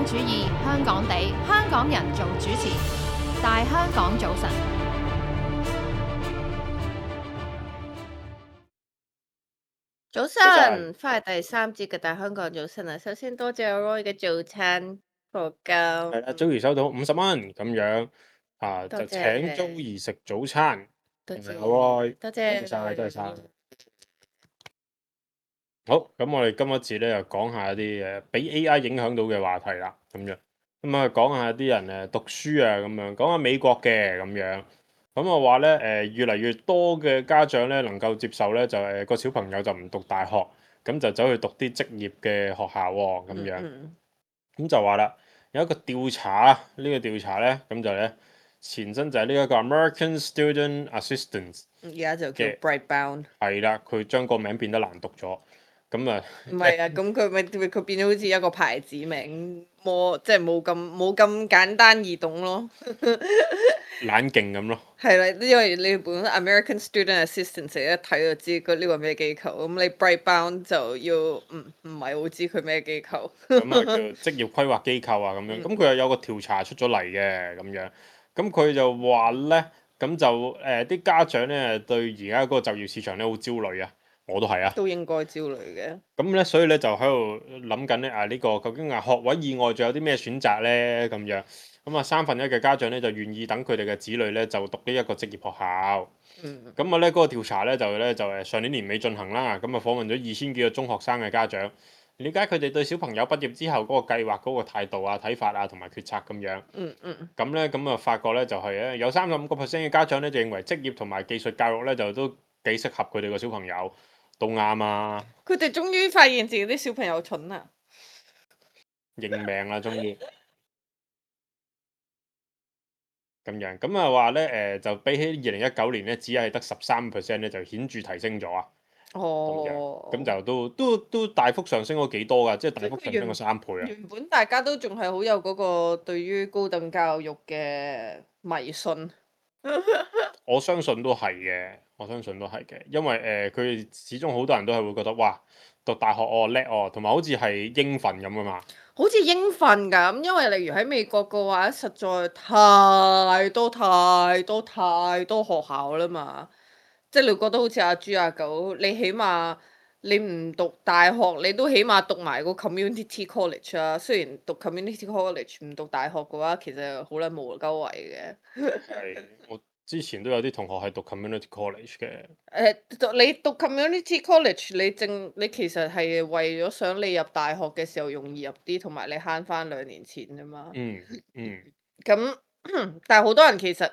主義，香港地，香港人做主持，大香港早晨。早晨，翻嚟第三節嘅大香港早晨啊！首先多謝 Roy 嘅早餐課金，係啦，Joey 收到50蚊咁樣啊，多就請謝 Joey 食早餐。多謝多多謝謝晒，多謝晒。好，咁我哋今一節咧就講下一啲俾 AI 影響到嘅話題啦，咁樣咁啊講下啲人讀書啊咁樣，講下美國嘅咁樣。咁我話咧越嚟越多嘅家長咧能夠接受咧就個小朋友就唔讀大學，咁就走去讀啲職業嘅學校喎，咁樣。咁就話啦，有一個調查啊，呢個調查咧，咁就咧前身就係呢一個 American Student Assistance 而家就叫嘅， Brightbound。係啦，佢將個名變得難讀咗，咁啊，唔係啊，咁佢變咗好似一個牌子名，即係冇咁簡單易懂咯。懶勁咁咯。係啦，因為你本身 American Student Assistance 一睇就知佢呢個咩機構，咁你 Brightbound 就要唔係好知佢咩機構。咁啊叫職業規劃機構啊咁樣，咁佢又有個調查出咗嚟嘅咁樣，咁佢就話咧，咁就啲家長咧對而家嗰個就業市場咧好焦慮啊，我都係啊。都應該焦慮嘅。咁咧，所以咧就喺度諗緊咧呢個究竟學位以外仲有啲咩選擇咧咁樣。咁啊1/3嘅家長咧就願意等佢哋嘅子女咧就讀呢一個職業學校。咁啊咧嗰個調查咧就上年年尾進行啦。咁啊訪問咗2000幾個中學生嘅家長，了解佢哋對小朋友畢業之後嗰個計劃嗰個態度啊、睇法啊同埋決策咁樣。咁咧咁啊發覺咧就係咧有35%嘅家長咧就認為職業同埋技術教育咧就都幾適合佢哋個小朋友，都啱啊。佢哋終於發現自己啲小朋友蠢啦，認命啦，終於咁樣。咁啊話咧就比起2019年咧，只係得13%咧，就顯著提升咗啊。咁樣咁就都大幅上升咗幾多㗎，即係大幅上升咗3倍啊。原本大家都仲係好有嗰個對於高等教育嘅迷信。我相信都係嘅，我相信都係嘅，因為佢哋始終好多人都係會覺得哇，讀大學叻同埋好似係應份咁㗎嘛。好似應份咁，因為例如喺美國嘅話，實在太多太多太多學校啦嘛，即係你覺得好似阿豬阿狗，你起碼你唔讀大學，你都起碼讀埋個 community college 啊。雖然讀 community college 唔讀大學嘅話，其實好撚無鳩謂嘅。係，我之前都有啲同學係讀 community college 嘅。你讀 community college，你其實係為咗想你入大學嘅時候容易入啲，同埋你慳翻2年錢啫嘛。嗯嗯。咁但係好多人其實，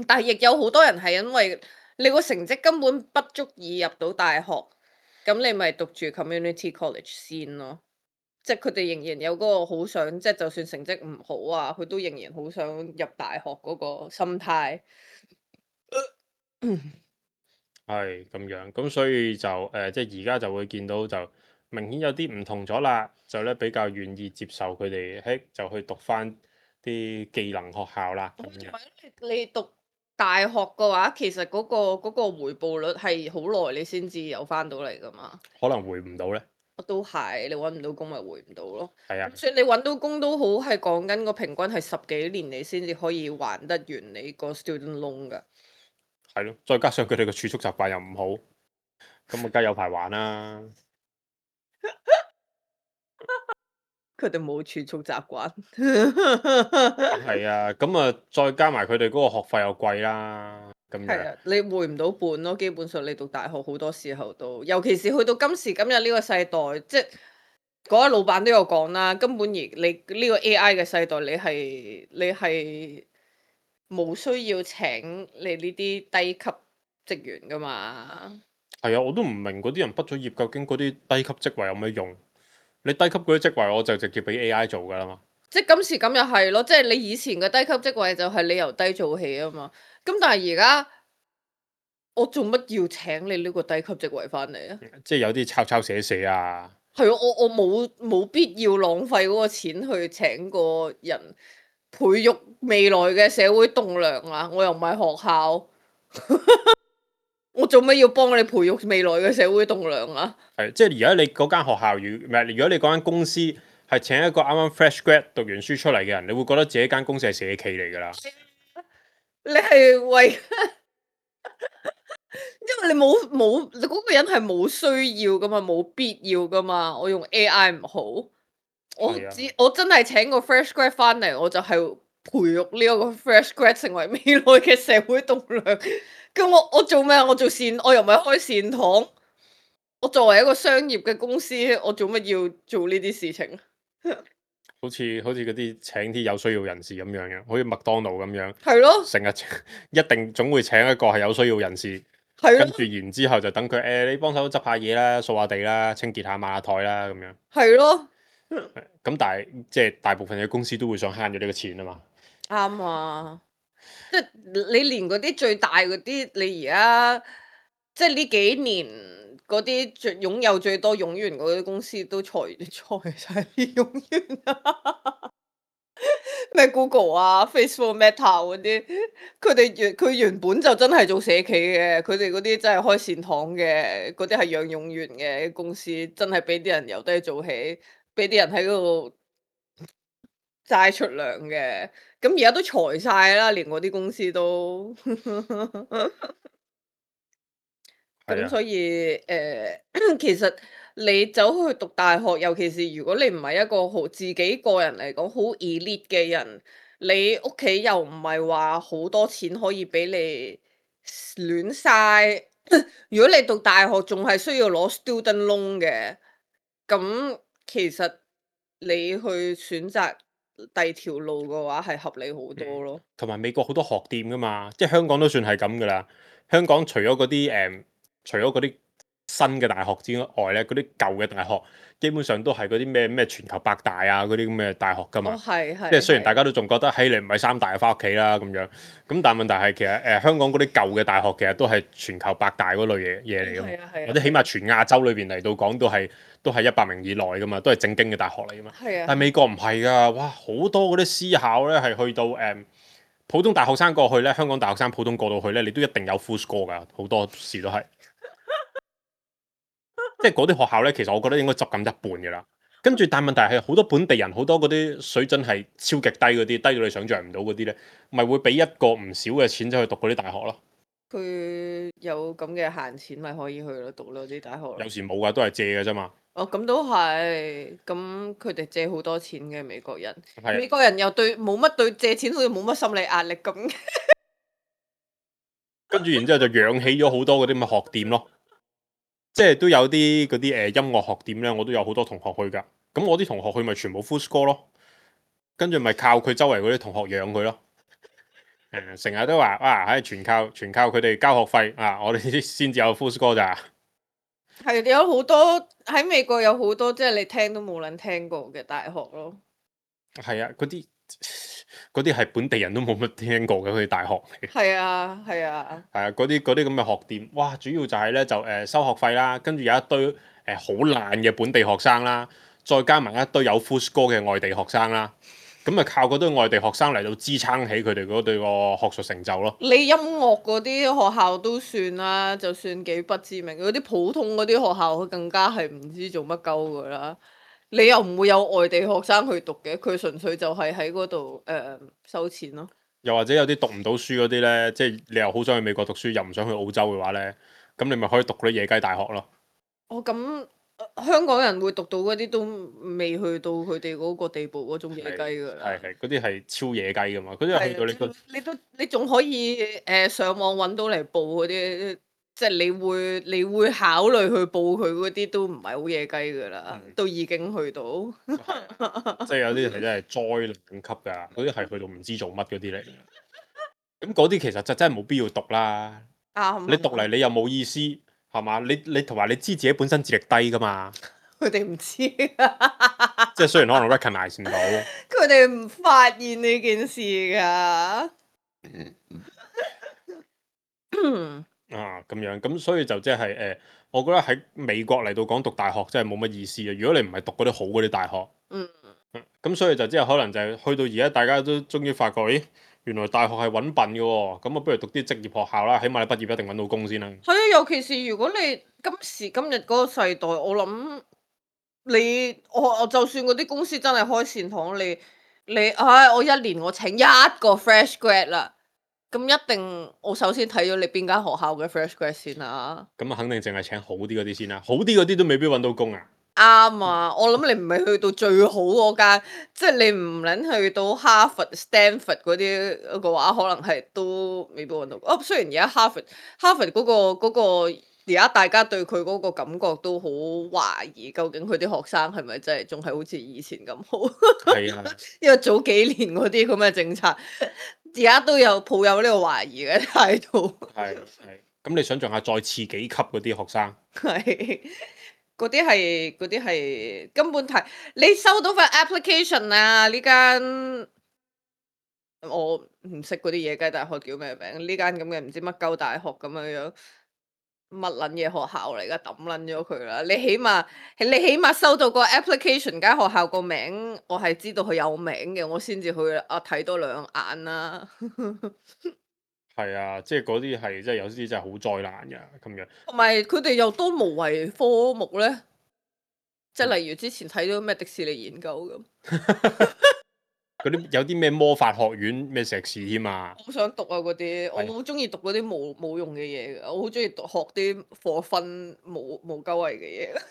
但係亦有好多人係因為你個成績根本不足以入到大學，咁你咪讀住 community college 先咯。即係佢哋仍然有嗰個好想，即係就算成績唔好啊，佢都仍然好想入大學嗰個心態。係咁樣，咁所以就即係而家就會見到就明顯有啲唔同咗啦，就咧比較願意接受佢哋，就去讀翻啲技能學校啦咁樣。你讀大學嘅話，其實嗰個回報率係好耐你先至有翻到嚟噶嘛。可能回唔到咧。都係，你揾唔到工咪回唔到咯。係啊，所以你揾到工都好，係講緊個平均係10幾年你先至可以還得完你個 student loan 噶。係咯，再加上佢哋個儲蓄習慣又唔好，咁啊梗係有排還啦。佢哋冇儲蓄習慣。係啊，咁啊再加埋佢哋嗰個學費又貴啦，咁樣。係啊，你回唔到本咯。基本上你讀大學好多時候都，尤其是去到今時今日呢個世代，即係嗰位老闆都有講啦。根本而你呢個 AI 嘅世代，你係冇需要請你呢啲低級職員噶嘛。係啊，我都唔明嗰啲人畢咗業究竟嗰啲低級職位有咩用？你低級嗰啲職位我就直接俾 AI 做㗎啦嘛。即係今時今日係咯，即係你以前嘅低級職位就係你由低做起啊嘛。咁但係而家我做乜要請你呢個低級職位翻嚟啊？即係有啲抄抄寫寫啊。係啊，我冇必要浪費嗰個錢去請個人培育未來嘅社會棟梁啊！我又唔係學校，我做乜要幫你培育未來嘅社會棟梁啊？係，即係而家你嗰間學校如果你嗰間公司係請一個啱啱 fresh grad 讀完書出嚟嘅人，你會覺得自己間公司係社企嚟㗎啦。你係為，因為你你嗰個人係冇需要噶嘛，冇必要噶嘛。我用 AI 唔好，係啊，我真係請個 fresh grad 翻嚟，我就係培育呢一個 fresh grad 成為未來嘅社會棟梁。咁我做咩啊？我做我又唔係開善堂。我作為一個商業嘅公司，我做乜要做呢啲事情？好似嗰啲請啲有需要人士咁樣嘅，好似麥當勞咁樣，係咯，成日一定總會請一個係有需要人士，係咯，跟住然之後就等佢你幫手執下嘢啦、掃下地啦、清潔下、抹下台啦咁樣。係咯，咁但係即係大部分嘅公司都會想慳咗呢個錢啊嘛。啱啊！即係你連嗰啲最大嗰啲，你而家即係呢幾年嗰啲擁有最多冗員嗰啲公司都裁晒啲冗員啊！咩 Google 啊、Facebook、Meta 嗰啲，佢原本就真係做社企嘅，佢哋嗰啲真係開善堂嘅，嗰啲係養冗員嘅公司，真係俾啲人由低做起，俾啲人喺嗰度齋出糧嘅。咁而家都裁晒啦，連嗰啲公司都。咁係啊，所以其實你走去讀大學，尤其是如果你唔係一個自己個人嚟講好 elite 嘅人，你屋企又唔係話好多錢可以俾你亂嘥。如果你讀大學仲係需要攞 student loan 嘅，咁其實你去選擇第二條路嘅話係合理好多咯。同埋美國好多學店噶嘛，即係香港都算係咁噶啦。香港除咗嗰啲除咗嗰啲新嘅大學之外咧，嗰啲舊嘅大學基本上都係嗰啲咩全球百大啊嗰啲咁嘅大學噶嘛。哦，係即係雖然大係，家都仲覺得，嘿，你唔係三大就翻屋企啦咁樣。咁但係問題係其實香港嗰啲舊嘅大學其實都係全球百大嗰類嘢嚟噶嘛，係啊係啊或者起碼全亞洲裏邊嚟到講都係100名以內噶嘛，都係正經嘅大學嚟噶嘛。係啊。但係美國唔係噶，哇，好多嗰啲私校咧係去到普通大學生過去咧，香港大學生普通過到去咧，你都一定有 full score 噶，好多時都係。即係嗰啲學校咧，其實我覺得應該執緊一半嘅啦。跟住，但問題係好多本地人，好多嗰啲水準係超極低嗰啲，低到你想象唔到嗰啲咧，咪會俾一個唔少嘅錢走去讀嗰啲大學咯。佢有咁嘅閒錢，咪可以去咯，讀咯啲大學咯。有時冇噶，都係借嘅啫嘛。哦，咁都係，咁佢哋借好多錢嘅美國人，係美國人又冇乜對借錢好似冇乜心理壓力咁。跟住然之後就養起咗好多嗰啲咁嘅學店咯。即係都有啲嗰啲音樂學店咧，我都有好多同學去㗎。咁我啲同學去咪全部 full score 咯，跟住咪靠佢周圍嗰啲同學養佢咯。成日都話哇，全靠佢哋交學費啊，我哋先至有 full score 咋。係有好多喺美國有好多即係你聽都冇撚聽過嘅大學咯。係啊，嗰啲係本地人都冇乜聽過嘅佢哋大學嚟。係啊係啊，係啊，嗰啲咁嘅學店，哇！主要就係咧就收學費啦，跟住有一堆好爛嘅本地學生啦，再加埋一堆有 full score 嘅外地學生啦，咁啊靠嗰堆外地學生嚟到支撐起佢哋嗰對個學術成就咯。你音樂嗰啲學校都算啦，就算幾不知名，嗰啲普通嗰啲學校，佢更加係唔知做乜鳩噶啦。你又唔會有外地學生去讀嘅，佢純粹就係喺嗰度收錢咯。又或者有啲讀唔到書嗰啲咧，即係你又好想去美國讀書，又唔想去澳洲嘅話咧，咁你咪可以讀嗰啲野雞大學咯。哦，咁香港人會讀到嗰啲都未去到佢哋嗰個地步嗰種野雞㗎啦。係嗰啲係超野雞㗎嘛，嗰啲係去到你個你仲可以上網揾到嚟報嗰啲，即係你會考慮去報佢嗰啲都唔係好野雞㗎啦，都已經去到。即係有啲係真係災難級㗎，嗰啲係去到唔知做乜嗰啲嚟。咁嗰啲其實就真係冇必要讀啦。啱。你讀嚟你又冇意思，係嘛？你同埋你知自己本身智力低㗎嘛？佢哋唔知，即係雖然可能 recognize 唔到，佢哋唔發現呢件事㗎。咁樣，咁所以就即係我覺得喺美國嚟到講讀大學真係冇乜意思啊！如果你唔係讀嗰啲好嗰啲大學，咁所以就即係可能就係去到而家大家都終於發覺，咦，原來大學係揾笨嘅喎，咁啊不如讀啲職業學校啦，起碼你畢業一定揾到工先啦。係啊，尤其是如果你今時今日嗰個世代，我諗我就算嗰啲公司真係開善堂，我一年我請一個 fresh grad 啦，咁一定我首先睇咗你邊間學校嘅 fresh grad 先啦。咁啊，肯定淨係請好啲嗰啲先啦，好啲嗰啲都未必揾到工啊。啱啊！我諗你唔係去到最好嗰間，即係你唔撚去到哈佛、Stanford 嗰啲嘅話，可能係都未必揾到。雖然而家哈佛嗰個而家大家對佢嗰個感覺都好懷疑，究竟佢啲學生係咪真係仲係好似以前咁好？係啊，因為早幾年嗰啲咁嘅政策，而家都有抱有呢個懷疑嘅態度。係。咁你想象下再次幾級嗰啲學生，係嗰啲係根本睇你收到份 application 啊！呢間我唔識嗰啲野雞大學叫咩名？呢間咁嘅唔知乜鳩大學咁樣樣，乜撚嘢學校嚟噶？抌撚咗佢啦！你起碼收到個 application 間學校個名，我係知道佢有名嘅，我先至去睇多兩眼啦。係啊，即係嗰啲係即係有啲真係好災難㗎咁樣。同埋佢哋又多無謂科目咧，即係例如之前睇到咩迪士尼研究咁。嗰啲有啲咩魔法學院咩碩士添啊？我好想讀啊嗰啲，係我好中意讀嗰啲冇用嘅嘢㗎，我好中意學啲課分冇鳩謂嘅嘢。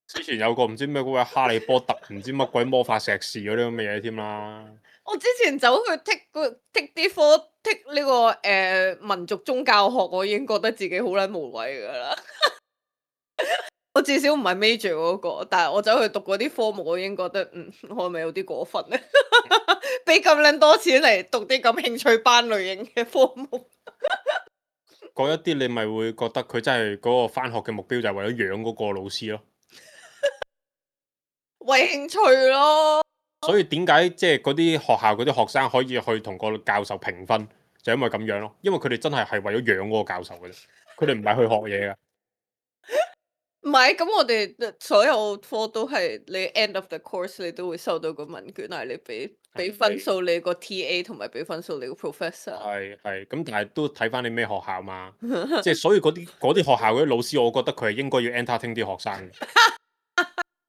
之前有個唔知咩嗰個哈利波特唔知乜鬼魔法碩士嗰啲咁嘅嘢添啦。我之前走去剔啲科剔呢個民族宗教學，我已經覺得自己好撚無謂㗎啦。我至少唔係 major 嗰個，但係我走去讀嗰啲科目，我已經覺得我係咪有啲過分咧？俾咁撚多錢嚟讀啲咁興趣班類型嘅科目。嗰一啲你咪會覺得佢真係嗰個返學嘅目標就係為咗養嗰個老師咯。為興趣咯。所以點解即係嗰啲學校嗰啲學生可以去同個教授評分，就因為咁樣咯。因為佢哋真係為咗養嗰個教授嘅啫，佢哋唔係去學嘢㗎。唔係，咁我哋所有科都係你 end of the course 你都會收到個問卷，係你俾分數你個 TA 同埋俾分數你個 professor。係咁，但係都睇翻你咩學校嘛。即係所以嗰啲學校嗰啲老師，我覺得佢係應該要 entertain 啲學生嘅。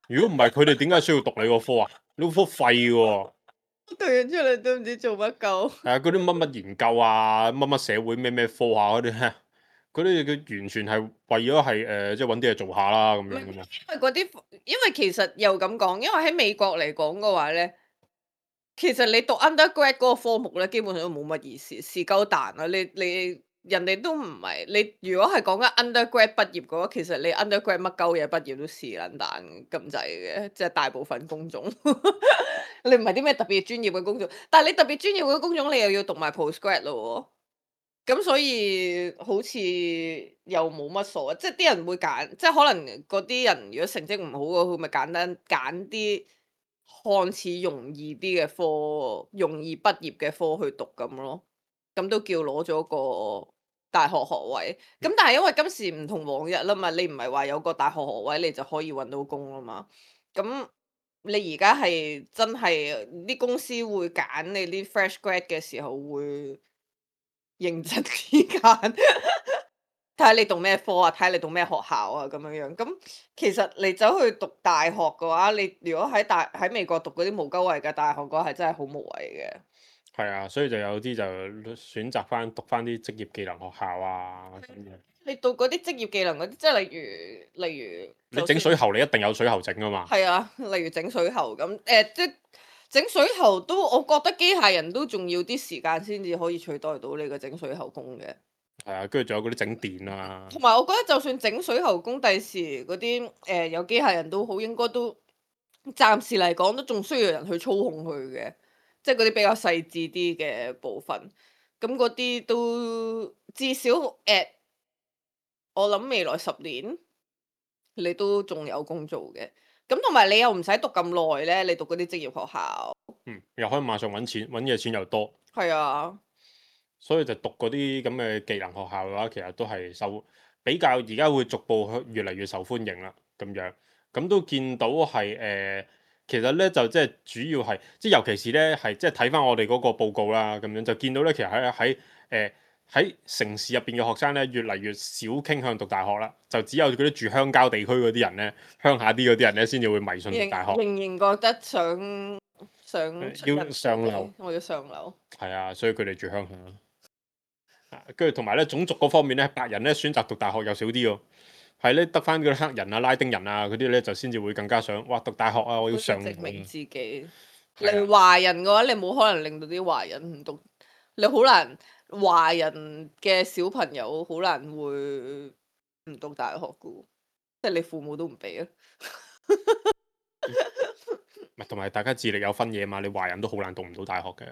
如果唔係，佢哋點解需要讀你個科啊？你個科廢嘅喎。讀完出嚟都唔知做乜鳩。係啊，嗰啲乜乜研究啊，乜乜社會咩咩科啊嗰啲，嗰啲佢完全係為咗係即係揾啲嘢做下啦咁樣噶嘛。因為其實又咁講，因為喺美國嚟講嘅話咧，其實你讀 undergrad 嗰個科目咧，基本上都冇乜意思，是鳩彈啊！你人哋都唔係你，如果係講緊 undergrad 畢業嘅話，其實你 undergrad 乜鳩嘢畢業都是撚彈咁滯嘅，即係大部分工種。你唔係啲咩特別專業嘅工種，但係你特別專業嘅工種，你又要讀埋 postgrad 咯喎。咁所以好似又冇乜所謂，即係啲人會揀，即係可能嗰啲人如果成績唔好嘅，佢咪簡單揀啲看似容易啲嘅科，容易畢業嘅科去讀咁咯。咁都叫攞咗個大學學位。咁但係因為今時唔同往日啦嘛，你唔係話有個大學學位你就可以揾到工啦嘛。咁你而家係真係啲公司會揀你啲 fresh grad 嘅時候會認真啲揀，睇下你讀咩科啊，睇下你讀咩學校啊咁樣樣。咁其實你走去讀大學嘅話，你如果喺美國讀嗰啲無鳩位嘅大學嘅話，係真係好無謂嘅。係啊，所以就有啲就選擇讀翻啲職業技能學校啊咁樣。你讀嗰啲職業技能嗰啲，即係例如你整水喉，你一定有水喉整噶嘛。係啊，例如整水喉咁，即係整水喉都，我覺得機械人都仲要啲時間先至可以取代到你個整水喉工嘅。係啊，跟住仲有嗰啲整電啊。同埋我覺得就算整水喉工，第時嗰啲有機械人都好，應該都暫時嚟講都仲需要人去操控佢嘅，即係嗰啲比較細緻啲嘅部分。咁嗰啲都至少我諗未來10年你都仲有工做嘅。咁同埋你又唔使讀咁耐咧，你讀嗰啲職業學校。又可以馬上揾錢，揾嘅錢又多。係啊。所以就讀嗰啲咁嘅技能學校嘅話，其實都係比較而家會逐步越嚟越受歡迎啦，咁樣咁都見到係其實咧就即係主要係即係尤其是咧係即係睇翻我哋嗰個報告啦，咁樣就見到咧其實喺喺城市入邊嘅學生咧，越嚟越少傾向讀大學啦，就只有嗰啲住鄉郊地區嗰啲人咧，鄉下啲嗰啲人咧，先至會迷信讀大學。仍然覺得想出要人上流，我要上流。係啊，所以佢哋住鄉下。跟住同埋咧種族嗰方面咧，白人咧選擇讀大學又少啲喎，係咧得翻嗰啲黑人啊、拉丁人啊嗰啲咧就先至會更加想，哇讀大學啊，我要上流證明自己。係啊你華人嘅話，你冇可能令到啲華人唔讀，你好難華人嘅小朋友好難會唔讀大學嘅喎，即係你父母都唔俾啊。唔係同埋大家智力有分野嘛，你華人都好難讀唔到大學嘅。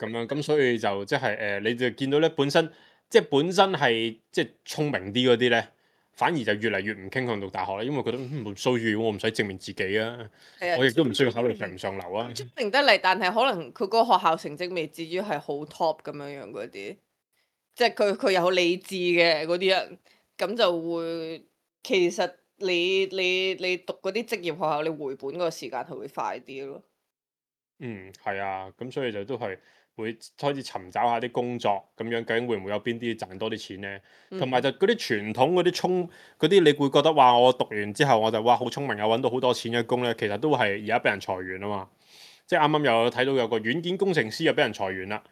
咁樣咁所以就即係你就見到咧本身係即係聰明啲嗰啲咧，反而就越嚟越唔傾向讀大學啦，因為覺得冇需要，我唔使證明自己啊，係啊我亦都唔需要考慮上唔上流啊。聰明得嚟，但係可能佢嗰個學校成績未至於係好 top 咁樣樣嗰啲，即係佢有理智嘅嗰啲人，咁就會其實你讀嗰啲職業學校，你回本嗰個時間係會快啲咯。係啊，咁所以就都係會開始尋找下啲工作咁樣，究竟會唔會有邊啲賺多啲錢呢？同埋就嗰啲傳統嗰啲，你會覺得話我讀完之後我就哇好聰明啊，揾到好多錢嘅工呢，其實都係而家俾人裁員啊嘛。即係啱啱又睇到有個軟件工程師又俾人裁員啦。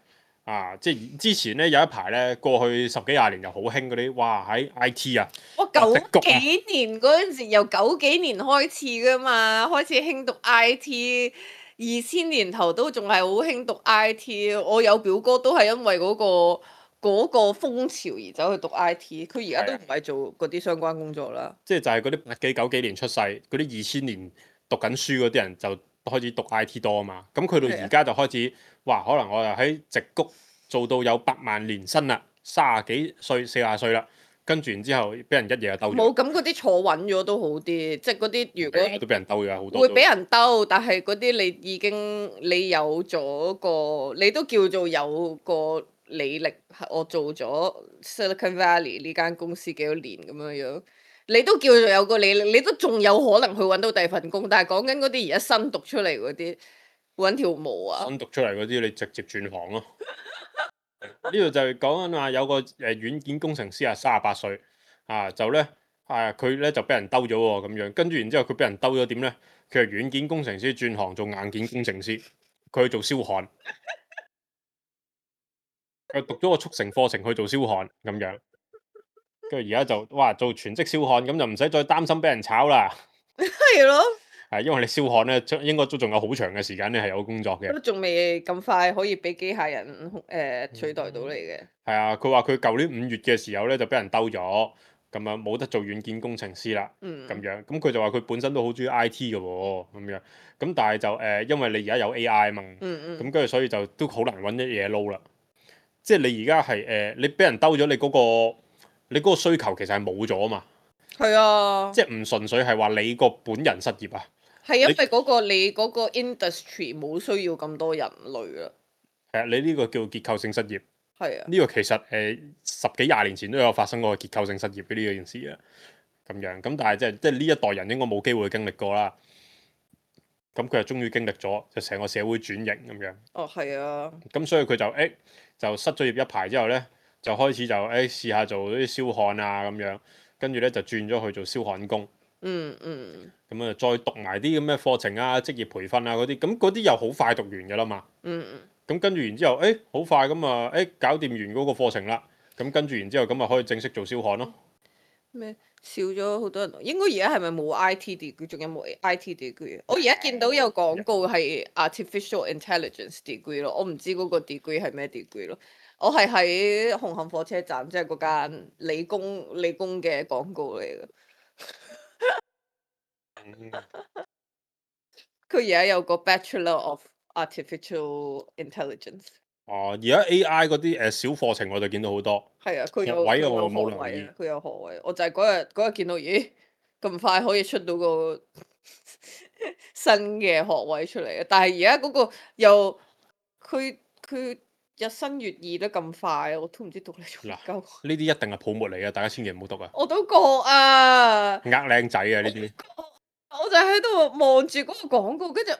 啊！即係之前咧有一排咧，過去10幾20年就好興嗰啲，哇喺 IT 啊，我九幾年嗰陣時，由90幾年開始噶嘛，開始興讀 IT，2000年頭都仲係好興讀 IT。我有表哥都係因為嗰個風潮而走去讀 IT，佢而家都唔係做嗰啲相關工作啦。即係就係嗰啲80幾90幾年出世，嗰啲2000年讀緊書嗰啲人就開始讀 IT 多啊嘛。咁佢到而家就開始，哇！可能我又喺矽谷做到有8萬年薪啦，30幾歲40歲啦，跟住然之後俾人一夜就兜咗。冇，咁嗰啲坐穩咗都好啲，即係嗰啲如果都俾人兜咗好多。會俾人兜，但係嗰啲你有咗個，你都叫做有個履歷。我做咗 Silicon Valley 呢間公司幾多年咁樣樣，你都叫做有個履歷，你都仲有可能去揾到第二份工。但係講緊嗰啲而家新讀出嚟嗰啲，揾條毛啊！新讀出嚟嗰啲，你直接轉行咯。呢度就係講緊話有個軟件工程師啊，38歲啊，就咧佢咧就俾人兜咗喎咁樣，跟住然之後佢俾人兜咗點咧？佢係軟件工程師轉行做硬件工程師，佢去做燒焊，佢讀咗個速成課程去做燒焊咁樣，跟住而家就哇做全職燒焊，咁就唔使再擔心俾人炒啦。係咯，係因為你燒焊咧，應該都仲有好長嘅時間咧係有工作嘅。都仲未咁快可以俾機械人取代到你嘅。係啊，佢話佢舊年5月嘅時候咧就俾人兜咗，咁樣冇得做軟件工程師啦，咁樣咁佢就話佢本身都好中意 IT 嘅喎，咁樣咁但係就因為你而家有 AI 嘛，咁跟住所以就都好難揾啲嘢撈啦。即係你而家係你俾人兜咗，你嗰個需求其實係冇咗啊嘛。係啊，即係唔純粹係話你個本人失業啊。係因為你嗰個 industry 冇需要咁多人類啦。係啊，你呢個叫結構性失業。係啊，呢個其實10幾20年前都有發生過結構性失業嘅呢件事啊。咁樣咁，但係即係呢一代人應該冇機會經歷過啦。咁佢就終於經歷咗，就成個社會轉型咁樣。哦，係啊。咁所以佢就失咗業一排之後咧，就開始就試下做啲燒焊啊咁樣，跟住咧就轉咗去做燒焊工。咁啊，再讀埋啲咁嘅課程啊、職業培訓啊嗰啲，咁嗰啲又好快讀完㗎啦嘛。咁跟住然之後，好快咁啊，搞掂完嗰個課程啦。咁跟住然之後，咁啊可以正式做燒焊咯。咩少咗好多人？應該而家係咪冇 IT degree？仲有冇 IT degree？我而家見到有廣告係 artificial intelligence degree 咯，我唔知嗰個 degree 係咩 degree 咯。我係喺紅磡火車站，即係嗰間理工嘅廣告嚟嘅。佢而家有個 Bachelor of Artificial Intelligence。哦，而家 AI 嗰啲小課程我就見到好多。係啊，佢有學位佢有我冇留意學位啊，佢有學位。我就係嗰日見到，咦咁快可以出到個新嘅學位出嚟啊！但係而家嗰個又佢日新月異得咁快，我都唔知讀嚟做乜鳩。呢啲一定係泡沫嚟嘅，大家千祈唔好讀啊！我都覺啊，呃靚仔啊呢啲。我就喺度望住嗰個廣告，跟住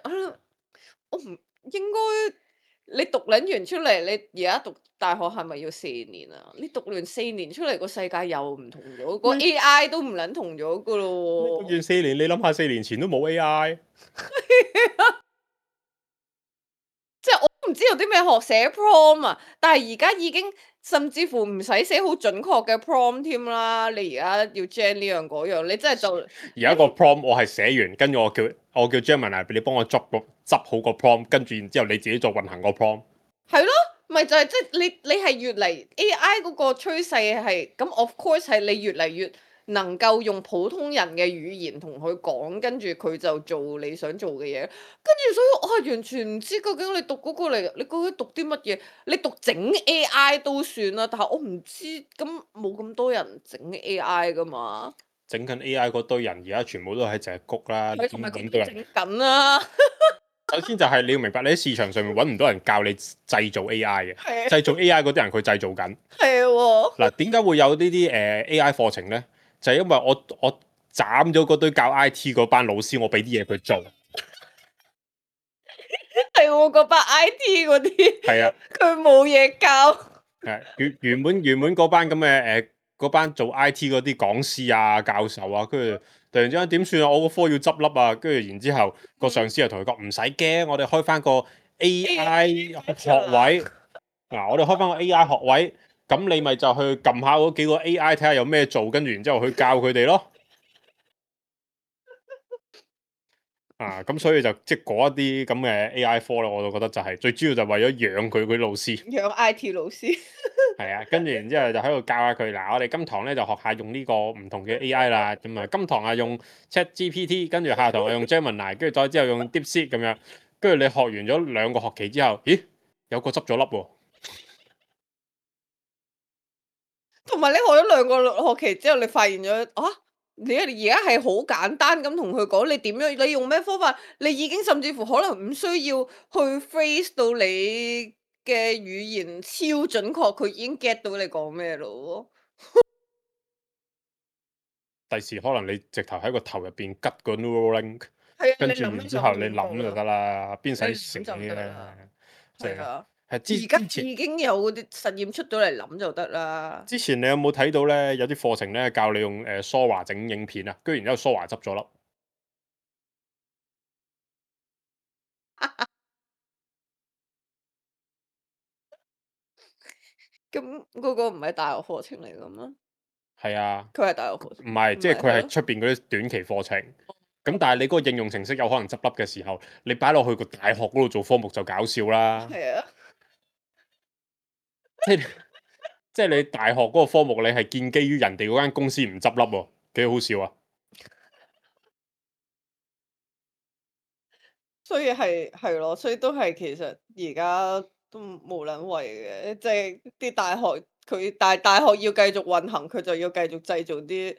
我唔應該你讀撚完出嚟，你而家讀大學係咪要4年啊？你讀完4年出嚟，個世界又唔同咗，個 AI 都唔撚同咗噶你咯喎。讀完4年，你諗下4年前都冇 AI，即係我都唔知有啲咩學寫 prompt 啊，但係而家已經甚至乎唔使寫好準確嘅 prompt 添啦。你而家要 gen 呢樣嗰樣，你真係就而家個 prompt 我係寫完，跟住我叫 Gemini 你幫我執好個 prompt，跟住然之後你自己再運行個 prompt。係咯，咪就係即係你係越嚟 AI 嗰個趨勢係咁，of course 係你越嚟越能夠用普通人嘅語言同佢講，跟住佢就做你想做嘅嘢。跟住所以我係完全唔知究竟你讀嗰個嚟，你究竟讀啲乜嘢？你讀整 AI 都算啦，但係我唔知咁冇咁多人整 AI 噶嘛。整緊 AI 嗰堆人而家全部都係淨係谷啦，係同埋點揾到人？整緊啦。首先就係你要明白，你喺市場上面揾唔到人教你製造 AI 嘅，係啊製造 AI 嗰啲人佢製造緊。係喎。嗱，點解會有呢啲AI 課程呢？就係因為我斬咗嗰堆教 IT 嗰班老師，我俾啲嘢佢做。係喎，嗰班 IT 嗰啲，係啊，佢冇嘢教。係原本嗰班咁嘅嗰班做 IT 嗰啲講師啊、教授啊，跟住突然之間點算啊？我個科要執笠啊！跟住然之後個上司又同佢講唔使驚，我哋開翻個 AI 學位。嗱，我哋開翻個 AI 學位，咁你咪就去撳下嗰幾個 AI 睇下有咩做，跟住然之後去教佢哋咯。咁所以就即係嗰一啲咁嘅 AI 科咧，我就覺得就係最主要就為咗養佢嗰啲老師。養 IT 老師。係啊，跟住然之後就喺度教下佢。嗱，我哋今堂咧就學下用呢個唔同嘅 AI 啦。咁啊，今堂啊用 ChatGPT，跟住下堂啊用 Gemini，跟住再之後用 DeepSeek 咁樣。跟住你學完咗2個學期之後，咦，有個執咗粒喎。同埋你學咗2個學期之後，你發現咗啊，你而家係好簡單咁同佢講，你點樣，你用咩方法，你已經甚至乎可能唔需要去 phrase 到你嘅語言超準確，佢已經 get 到你講咩咯。第時可能你直頭喺個頭入邊吉個 neural link，係啊，跟住你諗然之後你就諗就得啦，邊使你寫諗就得咧啦？？即係係啊，係而家之前已經有嗰啲實驗出到嚟，諗就得啦。之前你有冇睇到咧？有啲課程咧教你用Sora 整影片啊，跟住然之後 Sora 執咗粒。咁嗰個唔係大學課程嚟噶咩？係啊，佢係大學課程，唔係，即係佢係係咯。出邊嗰啲短期課程。咁但係你嗰個應用程式有可能執笠嘅時候，你擺落去個大學嗰度做科目就搞笑啦。係啊。即係即係你大學嗰個科目，你係建基於人哋嗰間公司唔執笠喎，幾好笑啊！所以係咯，所以都係其實而家都無撚謂嘅，即係啲大學佢大學要繼續運行，佢就要繼續製造啲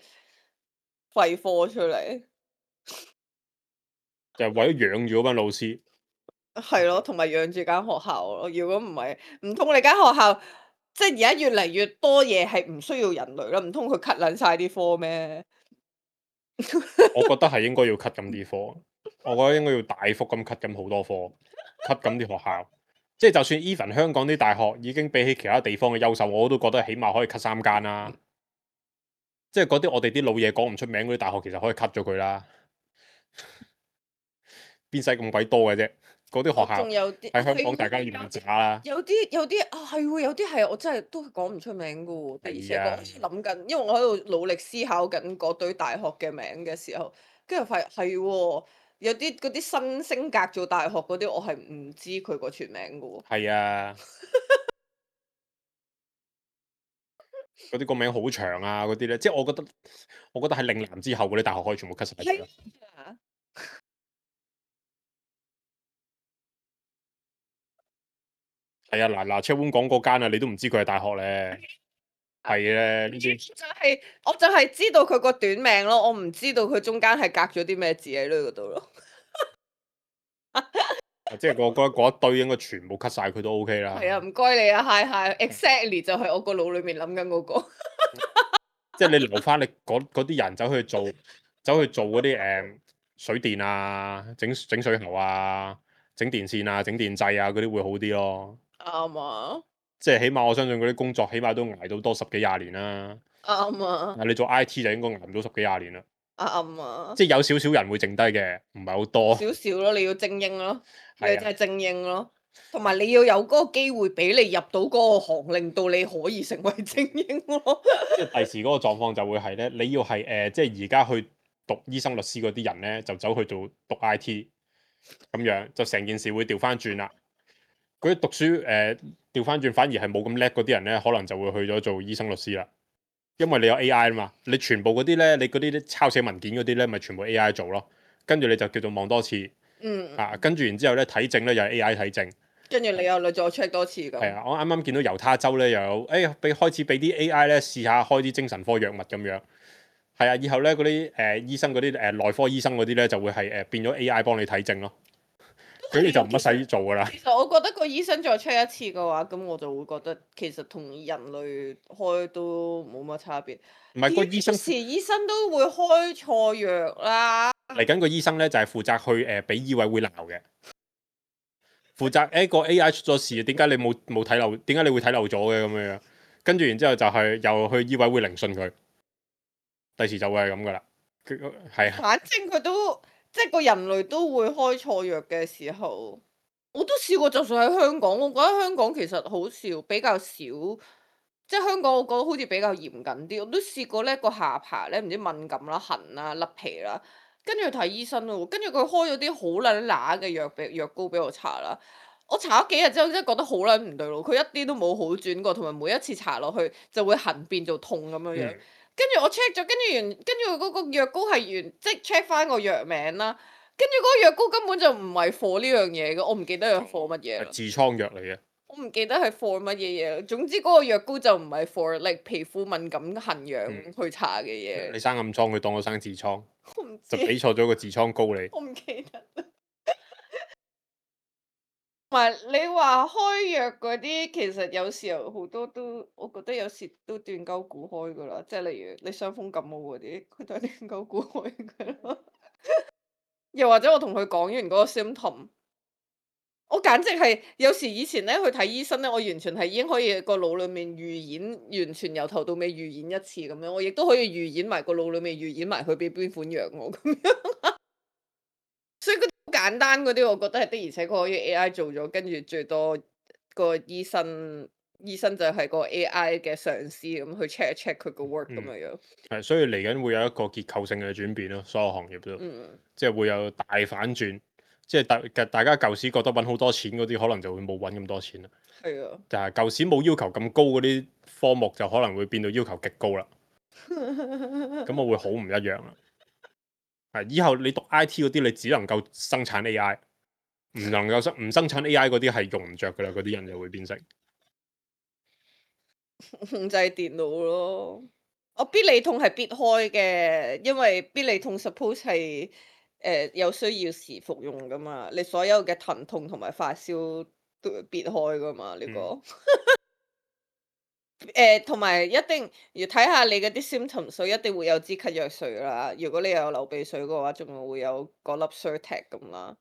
廢科出嚟。就係為咗養住嗰班老師。係咯，同埋養住間學校咯。如果唔係，唔通你間學校即係而家越嚟越多嘢係唔需要人類啦？唔通佢 cut 撚晒啲科咩？我覺得係應該要 cut 咁啲科，我覺得應該要大幅咁 cut 咁好多科，cut 咁啲學校。即係就算 even 香港啲大學已經比起其他地方嘅優秀，我都覺得起碼可以 cut 3間啦。即係嗰啲我哋啲老嘢講唔出名嗰啲大學，其實可以 cut 咗佢啦。邊使咁鬼多嘅啫？嗰啲學校仲有啲喺香港，係大家要唔渣啦。有啲啊，係喎，有啲係我真係都講唔出名噶喎。而且係啊我諗緊，因為我喺度努力思考緊嗰堆大學嘅名嘅時候，跟住發現係喎，有啲嗰啲新升格做大學嗰啲，我係唔知佢個全名噶喎。係啊，嗰啲個名好長啊，嗰啲咧，即係我覺得喺嶺南之後嗰啲大學可以全部 cut 晒佢啦。啊，係啊，嗱車碗講嗰間啊，你都唔知佢係大學咧。係咧，呢啲我就係知道佢個短名咯，我唔知道佢中間係隔咗啲咩字喺呢嗰度咯。即係嗰一堆應該全部 cut 晒佢都 OK 啦。係啊，唔該你啊，hi hi，exactly 就係我個腦裏面諗緊嗰個。即係你留翻你嗰啲人走去做嗰啲水電啊、整水喉啊、整電線啊、整電掣啊嗰啲會好啲咯。啱啊，即係起碼我相信嗰啲工作起碼都捱到多10幾20年啦。啱啊，你做 IT 就應該捱唔到10幾20年啦。啱啊，即係有少少人會剩低嘅，唔係好多。少少咯，你要精英咯，你係啊，真係精英咯，同埋你要有嗰個機會俾你入到嗰個行，令到你可以成為精英咯。即係第時嗰個狀況就會係咧，你要係即係而家去讀醫生、律師嗰啲人咧，就走去讀 IT 咁樣，就成件事會調翻轉啦。嗰啲讀書調翻轉，反而係冇咁叻嗰啲人咧，可能就會去咗做醫生、律師啦。因為你有 AI 啊嘛，你全部嗰啲咧，你嗰啲抄寫文件嗰啲咧，咪全部 AI 做咯。跟住你就叫做望多次嗯，啊，跟住然之後咧睇症咧又係 AI 睇症。跟住你又再 check 多次咁。係啊，我啱啱見到猶他州咧又有，開始俾啲 AI 咧試下開啲精神科藥物咁樣。係啊，以後咧嗰啲醫生嗰啲內科醫生嗰啲咧就會係變咗 AI 幫你睇症咯。佢哋就唔乜使做噶啦。其實我覺得個醫生再 check 一次嘅話，咁我就會覺得其實同人類開都冇乜差別。唔係個醫生有時醫生都會開錯藥啦。嚟緊個醫生咧就係負責去俾醫委會鬧嘅，負責個 AI 出咗事，點解你冇睇漏？點解你會睇漏咗嘅咁樣？跟住然之後就係又去醫委會聆訊佢，第時就會係咁噶啦。係啊，反正佢都即係個人類都會開錯藥嘅時候，我都試過。就算喺香港，我覺得香港其實好少，比較少。即係香港，我覺得好似比較嚴謹啲。我都試過咧，個下巴咧唔知敏感啦、痕啦、甩皮啦，跟住去睇醫生咯。跟住佢開咗啲好撚乸嘅藥膏俾我搽啦。我搽咗幾日之後，真係覺得好撚唔對路。佢一啲都冇好轉過，同埋每一次搽落去就會痕變做痛咁樣樣。嗯跟住我 check 咗，跟住嗰個藥膏係即係 check 翻個藥名啦。跟住嗰個藥膏根本就唔係 for 呢樣嘢嘅，我唔記得係 for 乜嘢啦。係痔瘡藥嚟嘅。我唔記得係 for 乜嘢嘢。總之嗰個藥膏就唔係 for like 皮膚敏感痕癢去搽嘅嘢。你生暗瘡，佢當我生痔瘡，我唔就知，俾錯咗個痔瘡膏你。我唔記得。同埋你話開藥嗰啲，其實有時候好多都，我覺得有時都斷鳩估開噶啦。即係例如你傷風感冒嗰啲，佢都係斷鳩估開噶啦。又或者我同佢講完嗰個 symptom，我簡直係有時以前咧去睇醫生咧，我完全係已經可以個腦裡面預演，完全由頭到尾預演一次咁樣。我亦都可以預演埋個腦裡面預演埋佢俾邊款藥我咁樣。所以嗰啲好簡單嗰啲，我覺得係的，而且確可以 AI 做咗，跟住最多個醫生就係個 AI 嘅上司咁去 check 一 check 佢個 work 咁樣樣。係，所以嚟緊會有一個結構性嘅轉變咯，所有行業都，即係會有大反轉。即係大家舊時覺得揾好多錢嗰啲，可能就會冇揾咁多錢啦。係啊，但係舊時冇要求咁高嗰啲科目，就可能會變到要求極高啦。咁我會好唔一樣啦。係，以後你讀 IT 嗰啲，你只能夠生產 AI，唔能夠唔生產 AI 嗰啲係用唔着噶啦，嗰啲人就會變成控制電腦咯。我必理痛係必開嘅，因為必理痛 suppose 係有需要時服用噶嘛。你所有嘅疼痛同埋發燒都會必開噶嘛呢個。同埋一定要睇下你嗰啲 symptom 水，一定會有支咳藥水啦。如果你有流鼻水嘅話，仲會有嗰粒 Zyrtec 咁啦。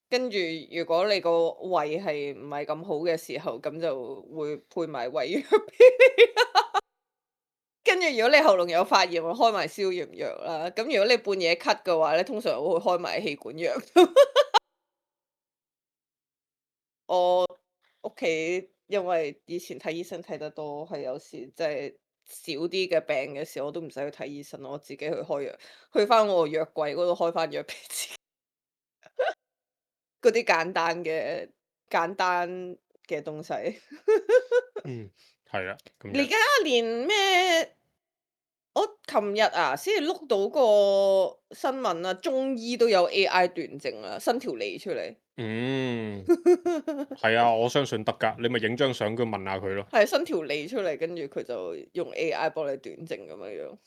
跟住如果你個胃係唔係咁好嘅時候，咁就會配埋胃藥俾你啦。跟住如果你喉嚨有發炎，會開埋消炎藥啦。咁如果你半夜咳嘅話咧，通常我會開埋氣管藥。我屋企因為以前睇醫生睇得多，係有時即係少啲嘅病嘅時候，我都唔使去睇醫生，我自己去開藥，去翻我個藥櫃嗰度開翻藥俾自己。嗰啲簡單嘅東西。係啦。你而家連咩？我琴日啊，先至碌到個新聞啊，中醫都有 AI 斷症啦，伸條脷出嚟。係啊，我相信得㗎。你咪影張相，佢問下佢咯。係伸條脷出嚟，跟住佢就用 AI 幫你斷症咁樣樣。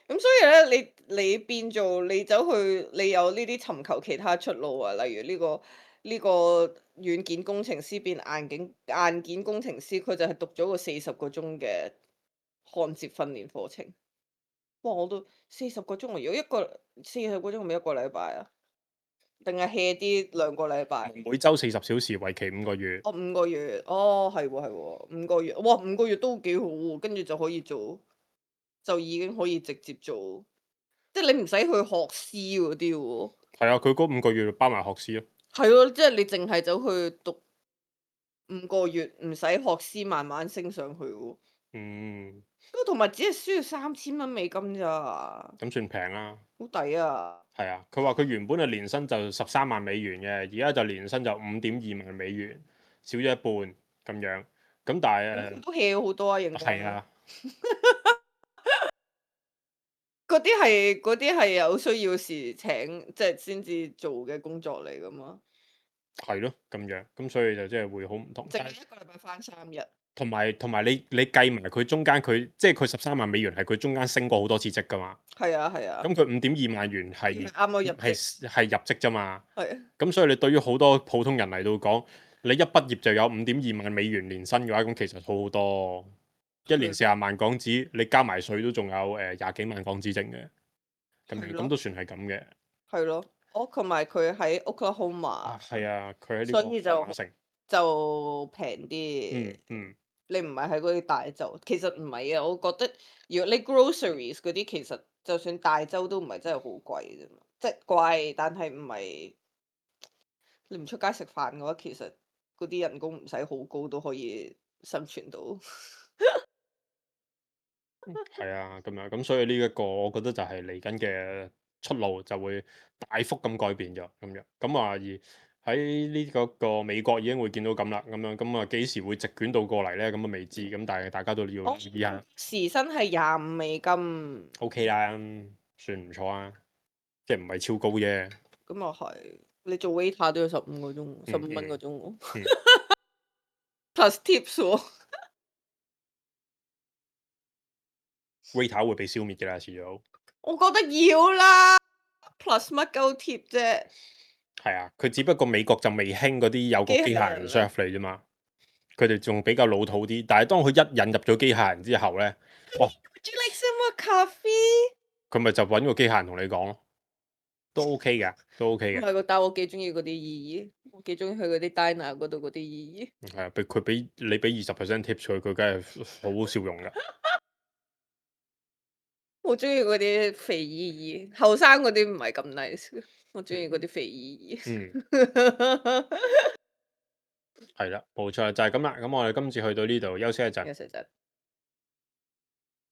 咁所以咧，你變做你走去，你有呢啲尋求其他出路啊，例如呢個軟件工程師變硬件工程師，佢就係讀咗個40個鐘嘅焊接訓練課程。哇！我都40個鐘啊！如果40個鐘係咪一個禮拜啊？定係 hea 啲2個禮拜？每週40小時，為期5個月。哦，5個月，哦，係喎係喎，5個月，哇，5個月都幾好喎，跟住就可以做，就已經可以直接做，即係你唔使去學師嗰啲喎。係啊，佢嗰5個月包埋學師咯。係咯，即係你淨係走去讀5個月，唔使學師，慢慢升上去喎。嗯，咁同埋只係需要$3000咋，咁算平啦。好抵啊！係啊，佢話佢原本嘅年薪就$13萬嘅，而家就年薪就$5.2萬，少咗一半咁樣。咁但係都 hea 好多啊，認真。係啊，嗰啲係有需要時請，即係先至做嘅工作嚟噶嘛。係咯咁樣，咁所以就即係會好唔同。淨係一個禮拜翻3日。同埋你計埋佢中間佢即係佢$13萬係佢中間升過好多次職噶嘛。係啊係啊。咁佢$5.2萬係啱啱入職。係入職啫嘛。係啊。咁所以你對於好多普通人嚟到講，你一畢業就有$5.2萬年薪嘅話，咁其實好好多。一年40萬港紙，你加埋稅都仲有20幾萬港紙剩嘅。咁都算係咁嘅。係咯，同埋佢喺 Oklahoma。係啊，佢喺呢所以個馬城。就平啲。你唔係喺嗰啲大州，其實唔係啊，我覺得如果你 groceries 嗰啲，其實就算大州都唔係真係好貴啫嘛，即係貴，但係唔係你唔出街食飯嘅話，其實嗰啲人工唔使好高都可以生存到。係啊，咁樣咁所以呢一個我覺得就係嚟緊嘅出路就會大幅咁改變咗咁樣。咁啊而喺呢個美國已經會見到咁啦，咁啊幾時會席捲到過嚟咧？咁啊未知，咁但係大家都要留意下。時薪係$25。OK 啦，算唔錯啊，即係唔係超高啫。咁又係，你做 waiter 都要15個鐘，15蚊個鐘喎。plus tips 喎。waiter 會被消滅嘅啦，遲早。我覺得要啦，plus 乜鳩貼啫。係啊，佢只不過美國就未興嗰啲有個機械人 serve 你啫嘛，佢哋仲比較老土啲。但係當佢一引入咗機械人之後咧，哇！ Would you like some more coffee？佢咪就揾個機械人同你講咯，都 OK 嘅，都 OK 嘅。唔係喎，但係我幾中意嗰啲姨姨，我幾中意去嗰啲 diner 嗰度嗰啲姨姨。係啊，佢俾你俾20% tips 佢，佢梗係好笑容㗎。我中意嗰啲肥姨姨，後生嗰啲唔係咁 nice，我中意嗰啲肥姨姨。係啦，冇錯就係咁啦。咁我哋今次去到呢度休息一陣。休息陣。